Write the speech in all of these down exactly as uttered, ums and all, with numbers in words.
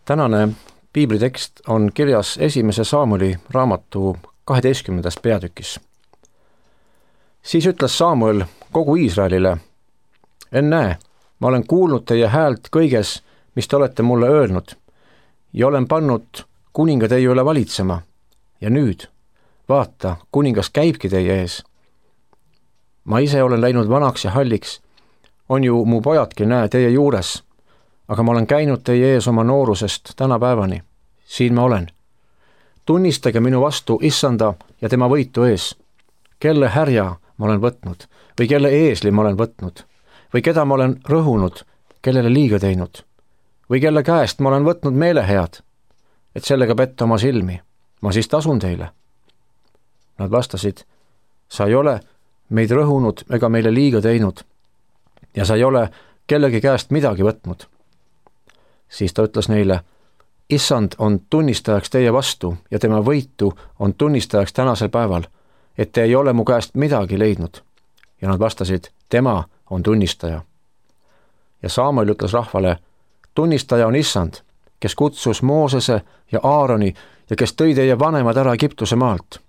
Tänane piiblitekst on kirjas esimese Saamueli raamatu kaheteistkümnendas peatükis. Siis ütles Saamuel kogu Iisraelile: ennäe, ma olen kuulnud teie häält kõiges, mis te olete mulle öelnud, ja olen pannud kuninga teie üle valitsema. Ja nüüd, vaata, kuningas käibki teie ees. Ma ise olen läinud vanaks ja halliks, on ju mu pojadki, näe, teie juures, aga ma olen käinud teie ees oma noorusest tänapäevani. Siin ma olen. Tunnistage minu vastu Issanda ja tema võitu ees. Kelle härja ma olen võtnud või kelle eesli ma olen võtnud või keda ma olen rõhunud, kellele liiga teinud või kelle käest ma olen võtnud meelehead, et sellega petta oma silmi. Ma siis tasun teile. Nad vastasid: sa ei ole meid rõhunud ega meile liiga teinud ja sa ei ole kellegi käest midagi võtnud. Siis ta ütles neile: Issand on tunnistajaks teie vastu ja tema võitu on tunnistajaks tänasel päeval, et te ei ole mu käest midagi leidnud. Ja nad vastasid: tema on tunnistaja. Ja Saamuel ütles rahvale: tunnistaja on Issand, kes kutsus Moosese ja Aaroni ja kes tõi teie vanemad ära Egiptuse maalt.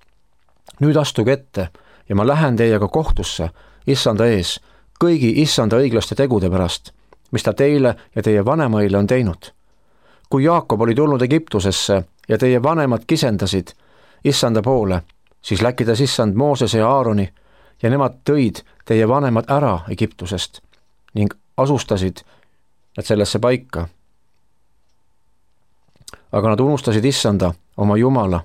Nüüd astuge ette ja ma lähen teiega kohtusse Issanda ees kõigi Issanda õiglaste tegude pärast, mis ta teile ja teie vanemaile on teinud. Kui Jaakob oli tulnud Egiptusesse ja teie vanemad kisendasid Issanda poole, siis läkitas Issand Moosese ja Aaroni ja nemad tõid teie vanemad ära Egiptusest ning asustasid nad sellesse paika. Aga nad unustasid Issanda, oma Jumala,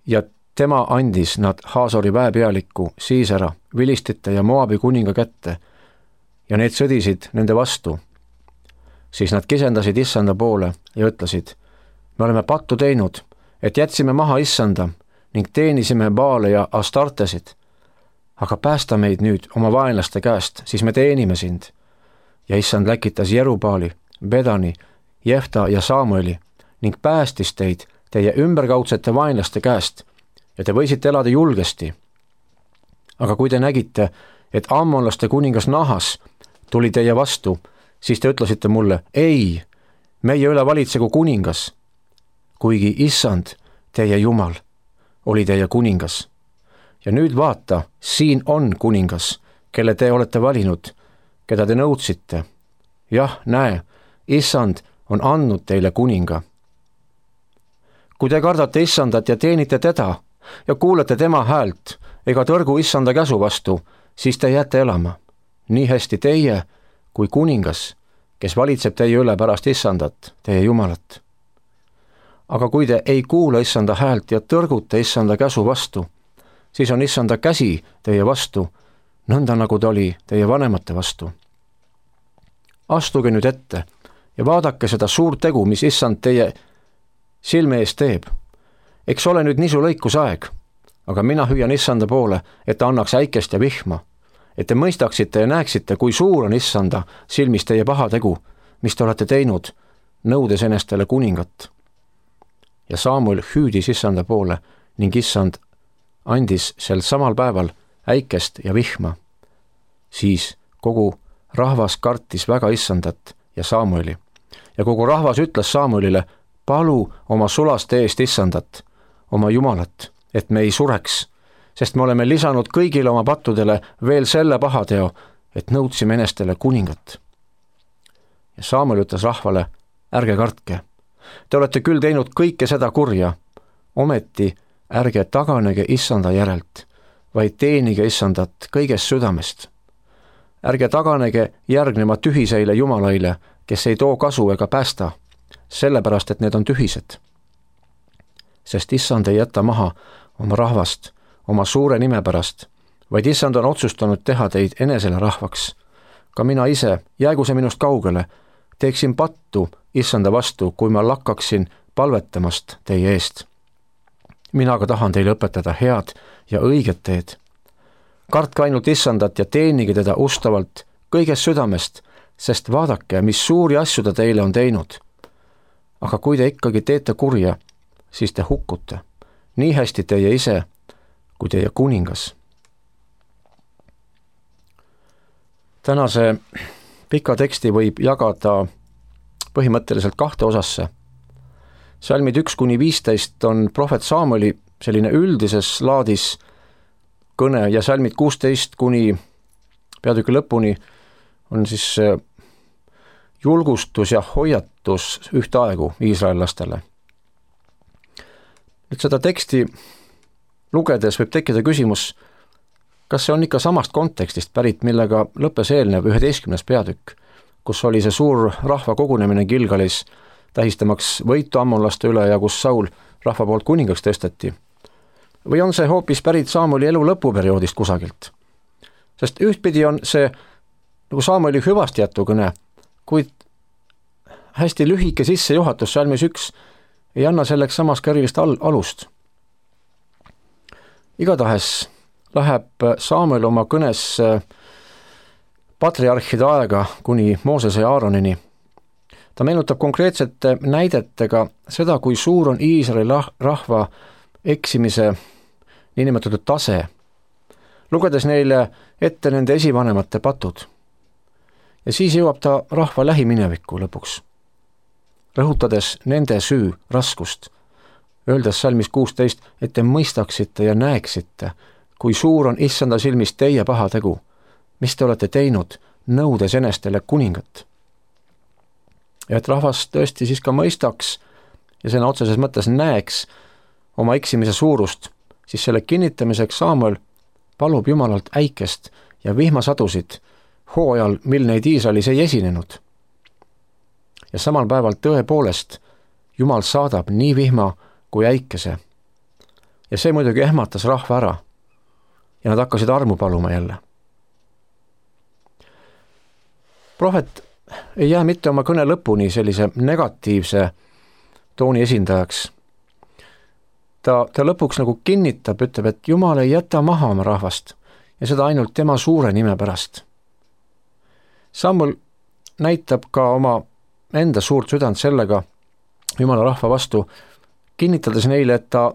ja tema andis nad Haasori väepealiku Siisera, Vilistite ja Moabi kuninga kätte ja need sõdisid nende vastu. Siis nad kisendasid Issanda poole ja ütlesid: me oleme pattu teinud, et jätsime maha Issanda ning teenisime Baale ja Astartesid. Aga päästa meid nüüd oma vaenlaste käest, siis me teenime sind. Ja Issand läkitas Jerubaali, Bedani, Jefta ja Saamueli ning päästis teid teie ümberkaudsete vaenlaste käest ja te võisite elada julgesti. Aga kui te nägite, et ammonlaste kuningas Nahas tuli teie vastu, siis te ütlesite mulle: ei, meie üle valitsegu kuningas, kuigi Issand, teie Jumal, oli teie kuningas. Ja nüüd vaata, siin on kuningas, kelle te olete valinud, keda te nõudsite. Jah, näe, Issand on andnud teile kuninga. Kui te kardate Issandat ja teenite teda ja kuulete tema häält ega tõrgu Issanda käsu vastu, siis te jääte elama. Nii hästi teie kui kuningas, kes valitseb teie üle pärast Issandat, teie Jumalat. Aga kui te ei kuula Issanda häält ja tõrgute Issanda käsu vastu, siis on Issanda käsi teie vastu, nõnda nagu ta oli teie vanemate vastu. Astuge nüüd ette ja vaadake seda suurt tegu, mis Issand teie silme ees teeb. Eks ole nüüd nisu lõikusaeg, aga mina hüüan Issanda poole, et ta annaks äikest ja vihma, et te mõistaksite ja näeksite, kui suur on Issanda silmis teie pahategu, mis te olete teinud, nõudes enestele kuningat. Ja Saamuel hüüdis Issanda poole ning Issand andis sel samal päeval äikest ja vihma. Siis kogu rahvas kartis väga Issandat ja Saamueli ja kogu rahvas ütles Saamuelile: palu oma sulaste eest Issandat, oma Jumalat, et me ei sureks, sest me oleme lisanud kõigile oma pattudele veel selle pahateo, et nõudsime enestele kuningat. Ja Saamuel ütles rahvale: ärge kartke, te olete küll teinud kõike seda kurja, ometi ärge taganege Issanda järelt, vaid teenige Issandat kõigest südamest. Ärge taganege järgnema tühiseile jumalaile, kes ei too kasu ega päästa, sellepärast et need on tühised. Sest Issand ei jäta maha oma rahvast oma suure nime pärast, vaid Issand on otsustanud teha teid enesele rahvaks. Ka mina ise, jäägu see minust kaugele, teeksin pattu Issanda vastu, kui ma lakkaksin palvetamast teie eest. Mina aga tahan teile õpetada head ja õiget teed. Kartke ainult Issandat ja teenige teda ustavalt kõigest südamest, sest vaadake, mis suuri asju ta teile on teinud. Aga kui te ikkagi teete kurja, siis te hukkute, nii hästi teie ise kui teie kuningas. Tänase pika teksti võib jagada põhimõtteliselt kahte osasse. Salmid üks kuni viisteist on prohvet Samueli selline üldises laadis kõne ja salmid kuusteist kuni peatüki lõpuni on siis julgustus ja hoiatus ühtaegu iisraellastele. Nüüd seda teksti lugedes võib tekkida küsimus, kas see on ikka samast kontekstist pärit, millega lõppes eelnev üheteistkümnes peatükk, kus oli see suur rahva kogunemine Gilgalis, tähistamaks võitu ammonlaste üle ja kus Saul rahva poolt kuningaks tõsteti. Või on see hoopis pärit Samueli elu lõpuperioodist kusagilt? Sest ühtpidi on see nagu Samueli hüvasti jätukõne, kuid hästi lühike sissejuhatus salmis üks ei anna selleks samas ka erilist al- alust. Igatahes läheb Samuel oma kõnes patriarhide aega kuni Moosese ja Aaronini. Ta meenutab konkreetsete näidetega seda, kui suur on Iisraeli rahva eksimise niinimetatud tase, lugedes neile ette nende esivanemate patud. Ja siis jõuab ta rahva lähiminevikku lõpuks, rõhutades nende süü raskust, öeldes salmis kuusteist, et te mõistaksite ja näeksite, kui suur on issanda silmis teie pahategu, mis te olete teinud, nõudes enestele kuningat. Ja et rahvas tõesti siis ka mõistaks ja sõna otseses mõttes näeks oma eksimise suurust, siis selle kinnitamiseks Samuel palub Jumalalt äikest ja vihmasadusid hooajal, mil neid Iisraelis ei esinenud. Ja samal päeval tõepoolest Jumal saadab nii vihma kui äikese. Ja see muidugi ehmatas rahva ära ja nad hakkasid armu paluma jälle. Prohvet ei jää mitte oma kõne lõpuni sellise negatiivse tooni esindajaks. Ta, ta lõpuks nagu kinnitab, ütleb, et Jumal ei jäta maha oma rahvast ja seda ainult tema suure nime pärast. Samuel näitab ka oma enda suurt südant sellega Jumala rahva vastu, kinnitades neile, et ta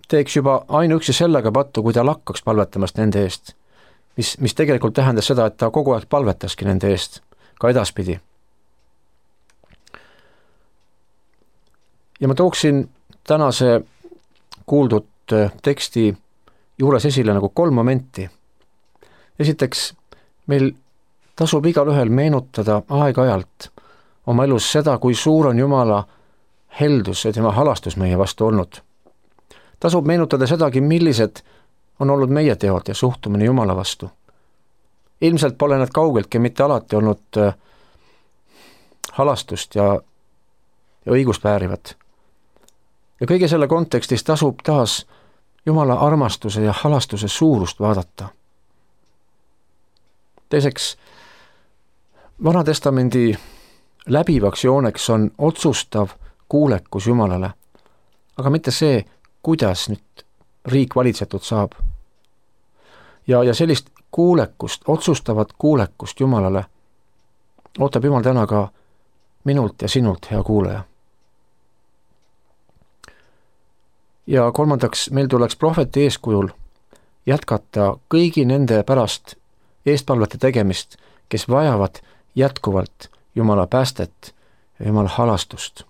teeks juba ainuüksi sellega pattu, kui ta lakkaks palvetamast nende eest, mis, mis tegelikult tähendas seda, et ta kogu aeg palvetaski nende eest, ka edaspidi. Ja ma tooksin tänase kuuldud teksti juures esile nagu kolm momenti. Esiteks, meil tasub igalühel meenutada aeg-ajalt oma elus seda, kui suur on Jumala heldus ja tema halastus meie vastu olnud. Tasub meenutada sedagi, millised on olnud meie teod ja suhtumine Jumala vastu. Ilmselt pole need kaugeltki mitte alati olnud halastust ja, ja õigust väärivad. Ja kõige selle kontekstis tasub taas Jumala armastuse ja halastuse suurust vaadata. Teiseks, Vana Testamendi läbivaks jooneks on otsustav kuulekus Jumalale, aga mitte see, kuidas nüüd riik valitsetud saab. Ja, ja sellist kuulekust, otsustavat kuulekust Jumalale ootab Jumal täna ka minult ja sinult, hea kuulaja. Ja kolmandaks, meil tuleks prohveti eeskujul jätkata kõigi nende pärast eestpalvete tegemist, kes vajavad jätkuvalt Jumala päästet ja Jumala halastust.